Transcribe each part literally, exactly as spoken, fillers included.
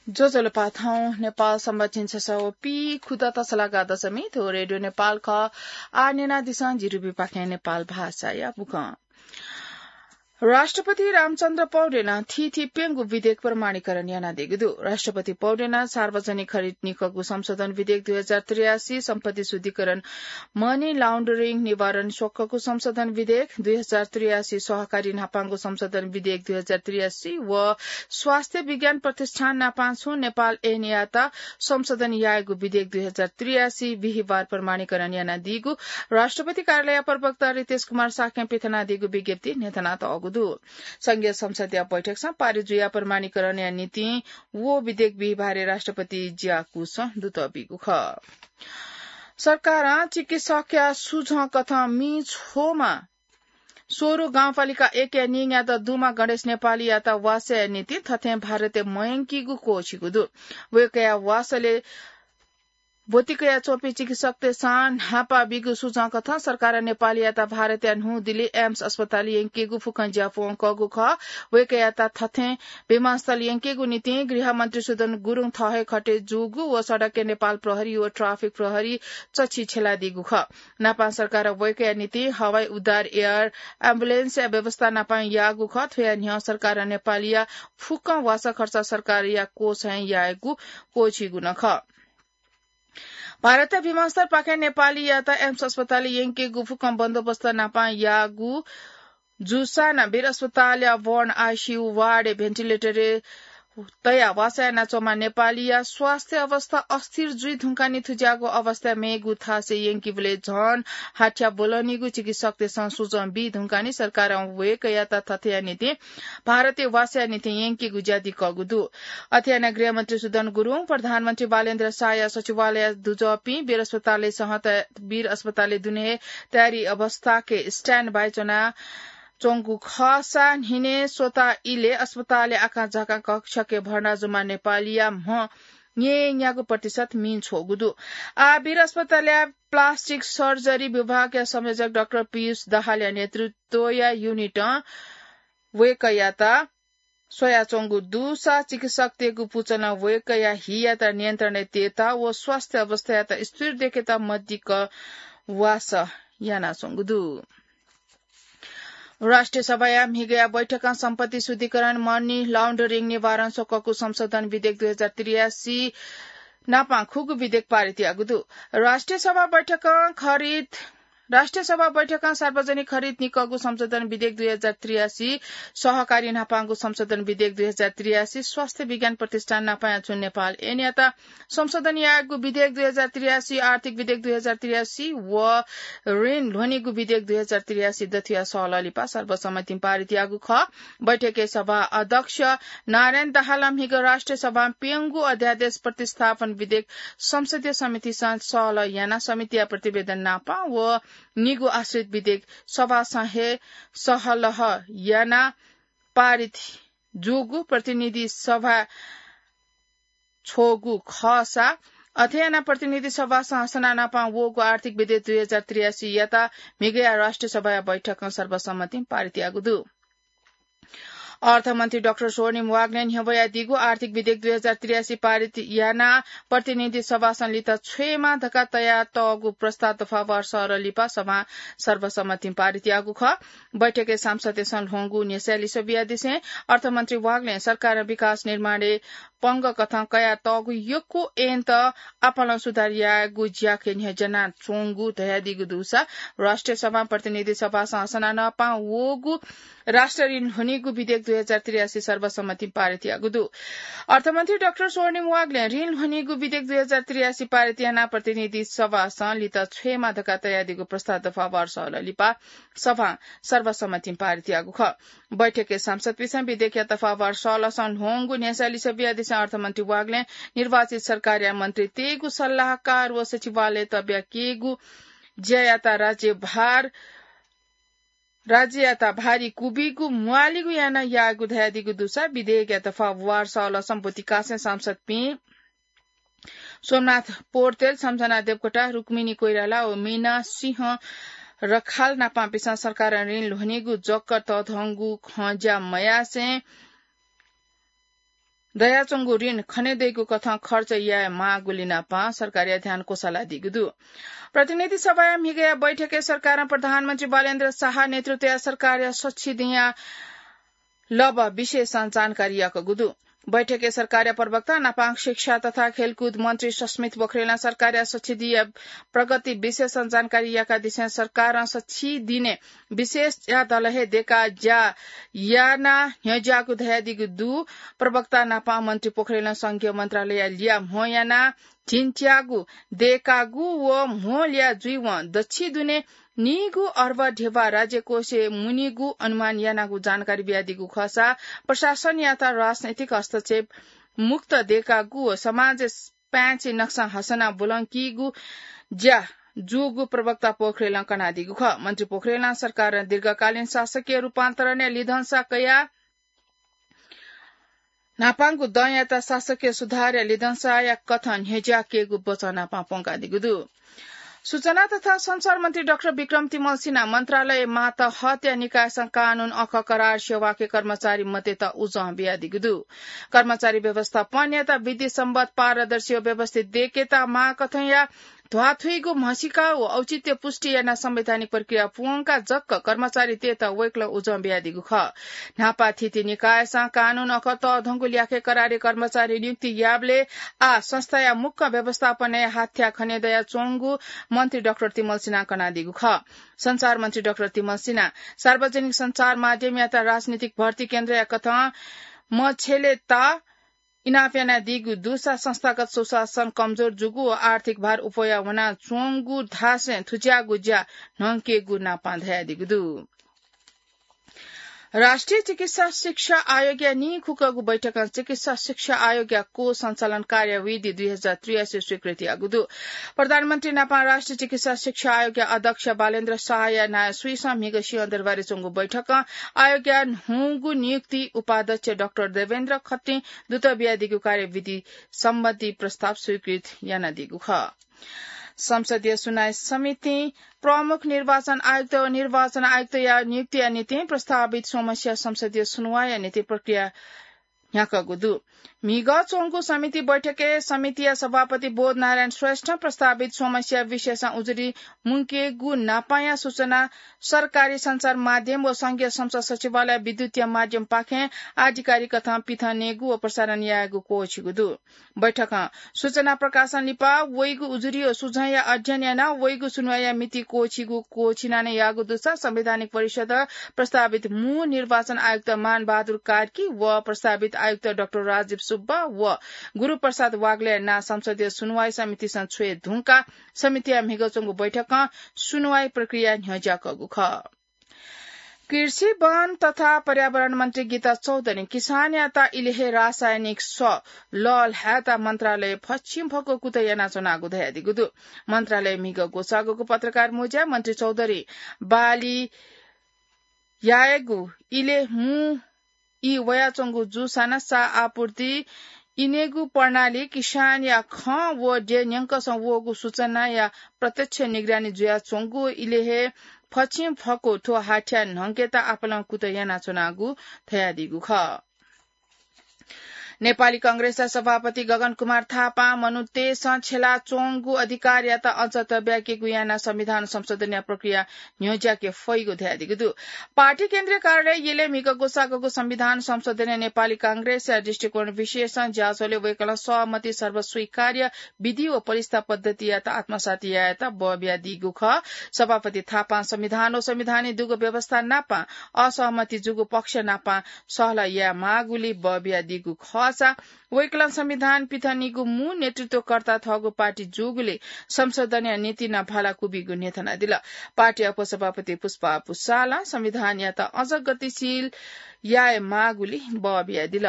ज्वजलपा, थौं नेपाल संवत झिंछसः व पीखुदँ तसलागा दशमी, थ्व रेडियो नेपाल खः। आः न्यनादिसँ जि रुबिपाखें नेपाल भाषाया बुखँ। राष्ट्रपति रामचन्द्र पौडेलं थीथी प्यंगू विधेयक प्रमाणीकरण यानादीगु दु। राष्ट्रपति पौडेलं सार्वजनिक खरिद निकःगु संशोधन विधेयक दुई हजार त्रियासी, सम्पत्ति शुद्धिकरण, money laundering निवारण स्वक्वःगु संशोधन विधेयक दुई हजार त्रियासी, सहकारी न्हापांगु संशोधन विधेयक दुई हजार त्रियासी व स्वास्थ्य विज्ञान प्रतिष्ठान न्हापां छुं नेपाल ऐनयात संशोधन यायेगु विधेयक दुई हजार त्रियासी बिहिबार प्रमाणीकरण यानादीगु राष्ट्रपति कार्यालय प्रवक्ता रितेश कुमार शाक्यं पिथनादीगु विज्ञप्ति न्ह्यथनातःगु दु। संघीय संसदया बैठकसं पारित जुयाः प्रमाणीकरणया निंतिं व विधेयक बिहिबारय् राष्ट्रपति ज्याकुसं दुतः बीगु खः। सरकारं चिकित्सकया सुझं कथं मि छ्वमा सोरु गाउँपालिका एकया निंग्यात दुमा गणेश नेपालीयात वासःया निंतिं थथें भारतय् मयंकीगु क्वःछिगु दु। वय्कःया वासलय् ब्वति कयाच्वंपिं चिकित्सकतय्सं न्हापा बीगु सुझं कथं सरकारं नेपालीयात भारतया न्हूदिल्ली एम्स अस्पताल यंकेगु फुक्कं ज्या प्वंकःगु खः। वय्कःयात थथें विमानस्थल यंकेगु निंतिं गृहमन्त्री सुदन गुरुङ थः हे खटे जूगु व सडकय् नेपाल प्रहरी व ट्राफिक प्रहरी चच्छि छ्यलादीगु खः। न्हापां सरकारं वय्कःया निंतिं हवाई उद्धार एयर एम्बुलेन्सया व्यवस्था न्हापां याःगु खः। थ्वया न्ह्यः सरकारं नेपालीया फुक्कं वासः खर्च सरकारया कोषय् यायेगु क्वःछिगु नं खः। भारतया विमानस्थलपाखें नेपालीयात एम्स अस्पतालय् यंकेगु फुक्कं बन्दोबस्त न्हापां याःगु जूसां नं वीर अस्पतालया बर्न आइसियु वार्डय् भेन्टिलेटरय् तयाः वासः यानाच्वंम्ह नेपालीया स्वास्थ्य अवस्था अस्थिर जुइ धुंकाः नि थुज्याःगु अवस्थाय् मेगु थासय् यंकेबलय् झन हाथ्या ब्वलनीगु चिकित्सकतय्सं सुझं बी धुंकाः नि सरकारं वय्कःयात थथेया निंतिं भारतय् वासःया निंतिं यंकेगु ज्या दिकःगु दु। अथे यानाः गृहमन्त्री सुदन गुरुङ, प्रधानमन्त्री बालेन्द्र शाहया सचिवालय दुजःपिं वीर अस्पतालय् सह त-, वीर अस्पतालय् दुने हे तयारी अवस्थाय् standby च्वना च्वंगु खःसा न्हिनय् स्वता इलय् अस्पतालय् आकांझाकां कक्षय् भर्ना जूम्ह नेपालीया म्ह न्यय्न्यागू प्रतिशत मि छ्वःगु दु। आः वीर अस्पतालया प्लास्टिक सर्जरी विभागया संयोजक डाक्टर पीयूष दाहालया नेतृत्वया युनिटं वय्कःयात स्वयाच्वंगु दुसा चिकित्सकतय्गु पुचलं वय्कःया हियात नियन्त्रणय् तयेत व स्वास्थ्य अवस्थायात स्थिर देकेत मदिक्क वासः यानाच्वंगु दु। राष्ट्रिय सभाया म्हिगःया बैठकं सम्पत्ति शुद्धिकरण, money laundering निवारण स्वक्वःगु संशोधन विधेयक दुई हजार त्रियासी नापां खुगू विधेयक पारित याःगु दु। राष्ट्रिय सभा बैठकं खरिद, राष्ट्रिय सभा बैठकं सार्वजनिक खरिद निकःगु संशोधन विधेयक दुई हजार त्रियासी, सहकारी न्हापांगु संशोधन विधेयक दुई हजार त्रियासी, स्वास्थ्य विज्ञान प्रतिष्ठान न्हापां याच्वंगु नेपाल ऐनयात संशोधन यायेगु विधेयक दुई हजार त्रियासी, आर्थिक विधेयक दुई हजार त्रियासी व ऋण ल्ह्वनीगु विधेयक दुई हजार त्रियासी दथुया सहलह लिपा सर्वसम्मतिं पारित याःगु खः। बैठकय् सभा अध्यक्ष नारायण दाहालं म्हिगः राष्ट्रिय सभां प्यंगू अध्यादेश प्रतिस्थापन विधेयक संसदीय समितिसं सहलह यानाः समितिया प्रतिवेदन नापं व निगू आश्रित विधेयक सभासं हे सहलह यानाः पारित जूगु प्रतिनिधि सभा छ्वःगु खःसा, अथे यानाः प्रतिनिधि सभासं हसना नापं वःगु आर्थिक विधेयक दुई हजार त्रियासीयात म्हिगःया राष्ट्रिय सभाया बैठकं सर्वसम्मतिं पारित याःगु दु। अर्थमन्त्री डाक्टर स्वर्णिम वाग्लें न्ह्यब्वयादीगु आर्थिक विधेयक दुई हजार त्रियासी पारित यानाः प्रतिनिधि सभासं लित छ्वयेमा धकाः तयातःगु प्रस्ताव दफावार सहलह लिपा सभां सर्वसम्मतिं पारित याःगु खः। बैठकय् सांसदतय्सं ल्ह्वंगु न्ह्यसःया लिसः बियादिसें अर्थमन्त्री वाग्लें सरकारं विकास निर्माणय् पंगः कथं कयातःगु यक्व ऐनत आपालं सुधार यायेगु ज्याखँय् न्ह्यज्यानाच्वंगु धयादीगु दुसा राष्ट्रिय सभां प्रतिनिधि सभासं हसना नापं वःगु राष्ट्रिय ऋण ल्ह्वनीगु विधेयक दुई हजार त्रियासी सर्वसम्मतिं पारित याःगु दु। अर्थमन्त्री डाक्टर स्वर्णिम वाग्लें ऋण ल्ह्वनीगु विधेयक दुई हजार त्रियासी पारित यानाः प्रतिनिधि सभासं लित छ्वयेमा धकाः तयादीगु प्रस्ताव दफावार सहलह लिपा सभां सर्वसम्मतिं पारित याःगु खः। बैठकय् सांसदपिन्सं विधेयकया दफावार सहलहसं ल्ह्वंगु न्ह्यसःया लिसः बियादिसें अर्थमन्त्री वाग्लें निर्वाचित सरकारया मन्त्रीतय्गु सल्लाहकार व सचिवालयय् तब्याकेगु ज्यायात राज्यभार राज्ययात भारी क्वबिगु म्वाःलिगु यानाः याःगु धयादीगु दुसा विधेयकया दफावार सहलहसं ब्वति कासें सांसदपिं सोमनाथ पौडेल, सम्झना देवकोटा, रुक्मिणी कोइराला व मीना सिंह रखाल नापंपिन्सं सरकारं ऋण ल्ह्वनीगु जक तःधंगु खँ ज्या मयासें दयाच्वंगु ऋण खनेदइगु कथं खर्च याये माःगुलिं नापं सरकारया ध्यान क्वसालादीगु दु। प्रतिनिधि सभाया म्हिगया बैठकय् सरकारं प्रधानमन्त्री बालेन्द्र शाह नेतृत्वया सरकारया सच्छिदिंया लब विशेषं जानकारी याकगु दु। बैठकय् सरकारया प्रवक्ता नापं शिक्षा तथा खेलकुद मन्त्री सस्मित पोखरेलं सरकारया सच्छिदिंया प्रगति विशेषं जानकारी याकादिसें सरकारं सच्छिदिने विशेष ज्या दल हे देका ज्या याना न्ह्यज्याःगु धयादीगु दु। प्रवक्ता नापं मन्त्री पोखरेलं संघीय मन्त्रालयया लिया म्हो याना झिंच्यागु देकागु व म्हो लिया जुइवं दच्छि दुने नीगु अर्ब ध्यबा राज्य कोषय् मुनीगु अनुमान यानागु जानकारी बियादीगु खःसा प्रशासनयात राजनैतिक हस्तक्षेप मुक्त देकागु व समाज पाँचे नक्सा हसना बुलंकीगु ज्या जूगु प्रवक्ता पोखरेलं कनादीगु खः। मन्त्री पोखरेलं सरकारं दीर्घकालीन शासकीय रूपान्तरणया लिधंसा कया न्हापांगु दँयात शासकीय सुधारया लिधंसाया कथं न्ह्यज्याकेगु वचन नापं प्वंकादीगु दु। सूचना तथा सञ्चार मन्त्री डाक्टर विक्रम तिमल सिन्हा मन्त्रालय मातहतया निकायसं कानून अखः करार सेवाके कर्मचारी मतेत उजं बियादीगु दु। कर्मचारी व्यवस्थापनयात विधि सम्बद्ध पारदर्शी व व्यवस्थित देकेत माःकथंया ध्वाथुइगु म्हसीका व औचित्य पुष्टि यानाः संवैधानिक प्रक्रिया प्वंका जक कर्मचारीतय्त वय्कलं उजं बियादीगु खः। न्हापा थीथी निकायसं कानून अखः तःधंगु ल्याखय् करारी कर्मचारी नियुक्ति याःबलय् आः संस्थाया मुक्क व्यवस्थापनय् हाथ्या खने दयाच्वंगु मन्त्री डाक्टर तिमल सिन्हां कनादीगु खः। सञ्चार मन्त्री डाक्टर तिमल सिन्हां सार्वजनिक सञ्चार माध्यमयात राजनीतिक भर्ती केन्द्रया कथं मछेलेत इनाप यानादीगु दुसा संस्थागत सुशासन कमजोर जूगु व आर्थिक भार उप्वया वनाच्वंगु धासें थुज्याःगु ज्या न्हंकेगु नापं धयादीगु दु। राष्ट्रिय चिकित्सा शिक्षा आयोगया नीखुकःगु बैठकं चिकित्सा शिक्षा आयोगया कोष सञ्चालन कार्यविधि दुई हजार त्रियासी स्वीकृति याःगु दु। प्रधानमन्त्री नापं राष्ट्रिय चिकित्सा शिक्षा आयोगया अध्यक्ष बालेन्द्र शाहया नायः स्वीसं म्हिगः सिंहदरबारय् च्वंगु बैठकं आयोगया न्हूगु नियुक्ति उपाध्यक्ष डाक्टर देवेन्द्र खत्रीं दुत बियादीगु कार्यविधि सम्बन्धी प्रस्ताव स्वीकृत यानादीगु खः। संसदीय सुनवाई समितिं प्रमुख निर्वाचन आयुक्त व निर्वाचन आयुक्तया नियुक्तिया निंतिं प्रस्तावित स्वम्हस्या संसदीय सुनवाईया निंतिं प्रक्रिया न्ह्याकःगु दु। म्हिगः च्वंगु समिति बैठकय् समितिया सभापति बोधनारायण श्रेष्ठं प्रस्तावित स्वम्हस्या विषयसं उजुरी मुंकेगु न्हापांया सूचना सरकारी सञ्चार माध्यम व संघीय संस्था सचिवालय विद्युतीय माध्यमपाखें आधिकारिक कथं पिथनेगु व प्रसारण यायेगु क्वःछिगु दु। बैठकं सूचना प्रकाशन लिपा वइगु उजुरी व सुझावया अध्ययन यानाः वइगु सुनवाईया मिति क्वःछिगु क्वःछिना नं याःगु दुसा संवैधानिक परिषद प्रस्तावित मू निर्वाचन आयुक्त मान बहादुर कार्की व प्रस्तावित आयुक्त डाक्टर राजीव सुब्बा व गुरुप्रसाद वाग्लेया नां संसदीय सुनवाई समितिसं छ्वये धुंकाः समितिया म्हिगः च्वंगु बैठकं सुनवाई प्रक्रिया न्ह्यज्याकःगु खः। कृषि, वन तथा पर्यावरण मन्त्री गीता चौधरीं किसानयात इलय् हे रासायनिक सः लःल्हायेत मन्त्रालय फच्छिंफक्व कुतः यानाच्वनागु धयादीगु दु। मन्त्रालय म्हिगः ग्वसाःगु पत्रकार म्वज्याय् मन्त्री चौधरीं बाली यायेगु इलय् मू ई वयाच्वंगु जूसां नं सा आपूर्ति इनेगु प्रणाली किसानया खँ व देय् न्यंकसं वःगु सूचनाया प्रत्यक्ष निगरानी जुयाच्वंगु इलय् हे फच्छिंफक्व थ्व हाथ्या न्हंकेत आपालं कुतः यानाच्वनागु धयादीगु खः। नेपाली कांग्रेसया सभापति गगन कुमार थापां मनूतय्सं छ्यलाच्वंगु अधिकारयात अझ तब्याकेगु यानाः संविधान संशोधनया प्रक्रिया न्ह्यज्याके फइगु धयादीगु दु। पार्टी केन्द्रीय कार्यालय यलय् म्हिगः ग्वसाःगु संविधान संशोधनया नेपाली कांग्रेसया दृष्टिकोण विषयसं ज्याझ्वलय् वय्कलं सहमति सर्वस्वीकार्य विधि व परिस्था पद्धतियात आत्मसात यायेत बः बियादीगु खः। सभापति थापां संविधान व संविधानय् दुगु व्यवस्था नाप असहमति जूगु पक्ष नाप सहलह याये माःगुलिं बः बियादीगु खःसा वय्कलं संविधान पिथनेगु मू नेतृत्वकर्ता थःगु पार्टी जूगुलिं संशोधनया निंतिं नं भाला क्वबिगु न्ह्यथनादिल। पार्टीया उपसभापति पुष्पा पुसालं संविधानयात अझ गतिशील याये माःगुलिं बः बियादिल।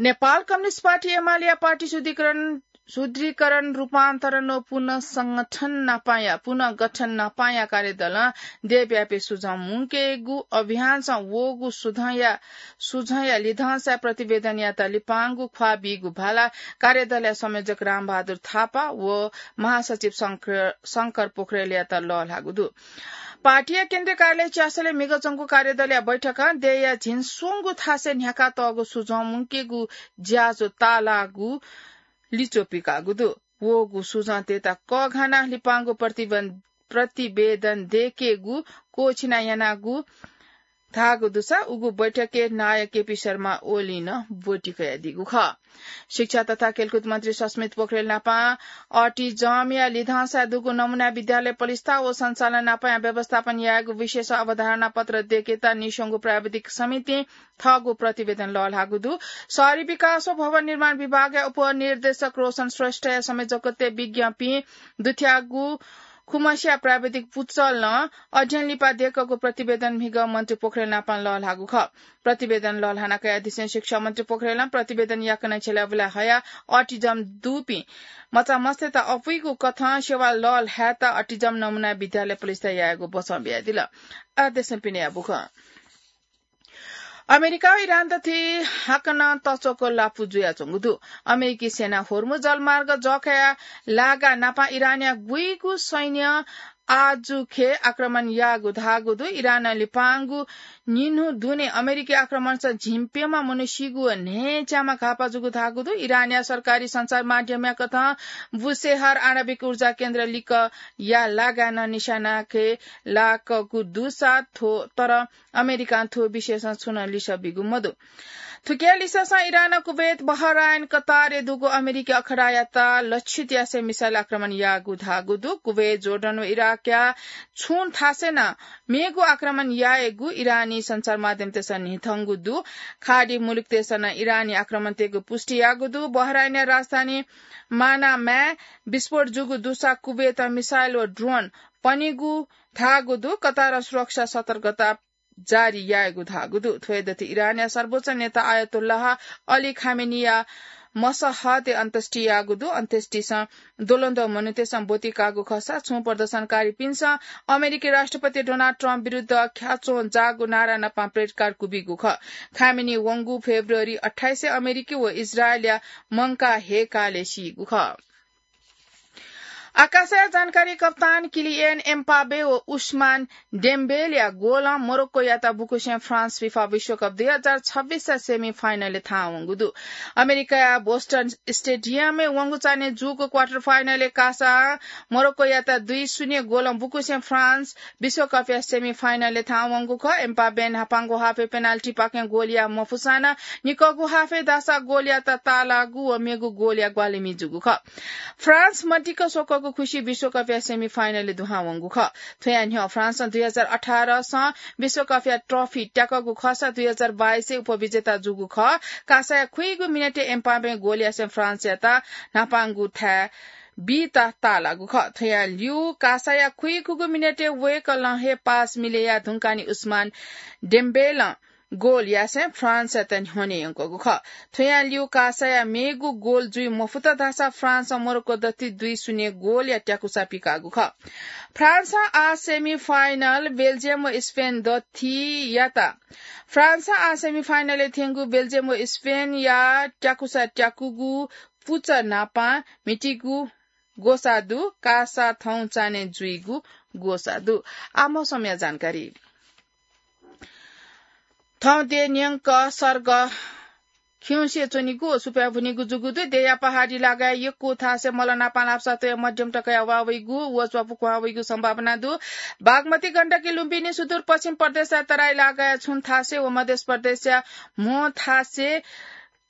नेपाल कम्युनिस्ट पार्टी एमालेया पार्टी शुद्धिकरण, शुद्धिकरण, रूपान्तरण व पुनर्संगठन नापाया, पुनर्गठन नापाया कार्यदलं देशव्यापी सुझं मुंकेगु अभियानसं वःगु सुझंया, सुझंया लिधंसा प्रतिवेदनयात लिपांगु ख्वाः बीगु भाला कार्यदलया संयोजक रामबहादुर थापा व महासचिव शंकर, शंकर पोखरेलयात लःल्हाःगु दु। पार्टीया केन्द्रीय कार्यालय च्यासलय् म्हिगः च्वंगु कार्यदलया बैठकं देय्‌या झिंस्वंगू थासय् न्ह्याकातःगु सुझं मुंकेगु ज्याझ्वः ताःलाःगु लिच्वः पिकाःगु दु। वःगु सुझंतय्‌त कःघानाः लिपांगु प्रतिबन-, प्रतिवेदन दय्‌केगु क्वःछिना यानागु धाःगु दुसा उगु बैठकय् नायः केपी शर्मा ओलीं नं ब्वति कयादीगु खः। शिक्षा तथा खेलकुद मन्त्री सस्मित पोखरेल नापं अटिजमया लिधंसाय् दुगु नमुना विद्यालय पलिस्था व सञ्चालन नापं व्यवस्थापन यायेगु विषयय् अवधारणा पत्र दय्‌केत नीस्वंगू प्राविधिक समितिं थःगु प्रतिवेदन लःल्हाःगु दु। शहरी विकास व भवन निर्माण विभागया उपनिर्देशक रोशन श्रेष्ठया संयोजकत्वय् विज्ञपिं दुथ्याःगु खुमस्या प्राविधिक पुचलं अध्ययन लिपा दय्‌कःगु प्रतिवेदन म्हिगः मन्त्री पोखरेल नापं लःल्हाःगु खः। प्रतिवेदन लःल्हाना कयादिसें शिक्षा मन्त्री पोखरेलं प्रतिवेदन याकनं छ्यलाबुला हयाः अटिजम दुपिं मचामस्तय्‌त अपुइगु कथं सेवा लःल्हायेत अटिजम नमुना विद्यालय पलिस्था यायेगु बचं बियादिल। आदेशं पिने याबुखं। अमेरिका व इरान दथुइ हाकनं तच्वःगु लापु जुयाच्वंगु दु। अमेरिकी सेना होर्मुज जलमार्ग जःखाया लागा नापं इरानया गुइगु सैन्यं आजुखे आक्रमण याःगु धाःगु दु। इरानं लिपांगु निन्हु दुने अमेरिकी आक्रमणसं झिंप्यम्ह मनू सीगु व न्हय्‌च्याम्ह घाःपाः जूगु धाःगु दु। इरानया सरकारी सञ्चार माध्यमया कथं बुशेहर आणविक ऊर्जा केन्द्र लिकया लागां निशानाखे लाकःगु दुसा थ्व, तर अमेरिकां थ्व विषयसं छुं नं लिसः बीगु मदु। थुकिया लिसःसं इरानं कुवेत, बहराइन, कतारय् दुगु अमेरिकी अखडायात लक्षित यासें मिसाइल आक्रमण याःगु धाःगु दु। कुवेत, जोर्डन व इराकया छुं थासय् नं मेगु आक्रमण याःगु इरानी सञ्चार माध्यमतय्‌सं न्ह्यथंगु दु। खाडी मुलुकतय्‌सं नं इरानी आक्रमणतय्‌गु पुष्टि याःगु दु। बहराइनया राजधानी मानामाय् विस्फोट जूगु दुसा कुवेतं मिसाइल व ड्रोन पनीगु धाःगु दु। कतारं सुरक्षा सतर्कता जारी याःगु धाःगु दु। थ्व हे दथुइ इरानया सर्वोच्च नेता आयतोल्लाह अली खामेनीया मसहतय् अन्त्येष्टि याःगु दु। अन्त्येष्टिसं द्वलंद्वः मनूतय्‌सं ब्वति काःगु खःसा छुं प्रदर्शनकारीपिन्सं अमेरिकी राष्ट्रपति डोनाल्ड ट्रम्प विरुद्ध ख्याच्वं जाःगु नारा नापं प्लेकार्ड क्वबीगु खः। खामेनी वंगु फेब्रुअरी अट्ठाइसय् अमेरिकी व इजरायलया मंकाः हय्‌कालय् सीगु खः। आकाशया जानकारी। कप्तान किलियन एम्बाप्पे व उस्मान डेम्बेलेया गोलं मोरोक्कोयात बुकुसें फ्रान्स फिफा विश्वकप दुई हजार छब्बिसया सेमी फाइनलय् थाहां वंगु दु। अमेरिकाया बोस्टन स्टेडियमय् वंगु चान्हय् जूगु क्वार्टर फाइनलय् कासां मोरोक्कोयात दुई शून्य गोलं बुकुसें फ्रान्स विश्वकपया सेमी फाइनलय् थाहां वंगु खः। एम्बाप्पें न्हापांगु हाफय् पेनाल्टीपाखें गोलया मफुसां नं निकःगु हाफय् धाःसा गोलयात ताःलाःगु व मेगु गोलया ग्वाहालिमि जूगु खः। फ्रान्स मदिक्क स्वकःगु खुसि विश्वकपया सेमी फाइनलय् दुहां वंगु खः। थ्वया न्ह्यः फ्रान्सं दुई हजार अठारसं विश्वकपया ट्रफी त्याकःगु खःसा दुई हजार बाइसय् उपविजेता जूगु खः। कासाया खुइगु मिनेटय् एम्बाप्पें गोल यासें फ्रान्सयात न्हापांगु थाय् बीत ताःलाःगु खः। थ्वया ल्यू कासाया खुइखुगू मिनेटय् वय्‌कलं हे पास मिले याये धुंकाः नि उस्मान डेम्बेलं गोल यासें फ्रान्सयात न्ह्यःने यंकूगु खः। थ्वया ल्यू कासाया मेगु गोल जुइ मफुत धाःसा फ्रान्सं मोरोक्को दथुइ दुई शून्य गोलया त्याकुसा पिकाःगु खः। फ्रान्सं आः सेमी फाइनल बेल्जियम व स्पेन दथुइ यात। फ्रान्सं आः सेमी फाइनलय् थ्यंगु बेल्जियम व स्पेनया त्याकुसा त्याकुगु पुचः नापं म्हितीगु ग्वसाः दु, कासा थौं चान्हय् जुइगु ग्वसाः दु। आः मौसमया जानकारी। थौं देय् न्यंक सर्ग खिउँसे च्वनीगु व सुप्याः भुनीगु जूगु दु। देय्‌या पहाडी लागाय् यक्व थासय् मल नापं ल्हापसा तयाः मध्यम तकया वा वइगु व च्वापु क्वहां वइगु सम्भावना दु। बागमती, गण्डकी, लुम्बिनी, सुदूरपश्चिम प्रदेशया तराई लागाय् छुं थासय् व मध्य प्रदेशया म्हो थासय्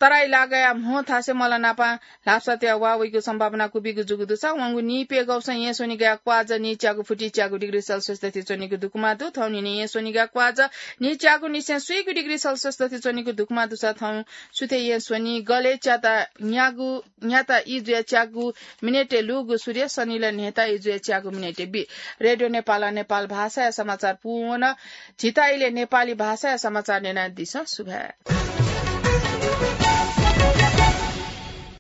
तराई लागाया म्हो थासय् मल नापं ल्हापसा तयाः वा वइगु सम्भावना क्वबीगु जूगु दुसा वंगु नीप्यघौसं येँ स्वनिगया क्वाःजः नीच्यागु फुति च्यागु डिग्री सेल्सियस दथुइ च्वनीगु दुकुमा दु। थौंनिनि येँ स्वनिगया क्वाःजः नीच्यागु निसें स्वीगु डिग्री सेल्सियस दथुइ च्वनीगु दुकुमा दुसा थौं सुथय् येँ स्वनि गले च्याता न्यागु न्याता इजुया च्यागु मिनेटय् लूगु सूर्य सनिल न्हेता इजुया च्यागु मिनेटय् बी। रेडियो नेपालं नेपाल भाषाया समाचार पूवन। झीत इलय् नेपाली भाषाया समाचार न्यनादिसँ। सुभाय्।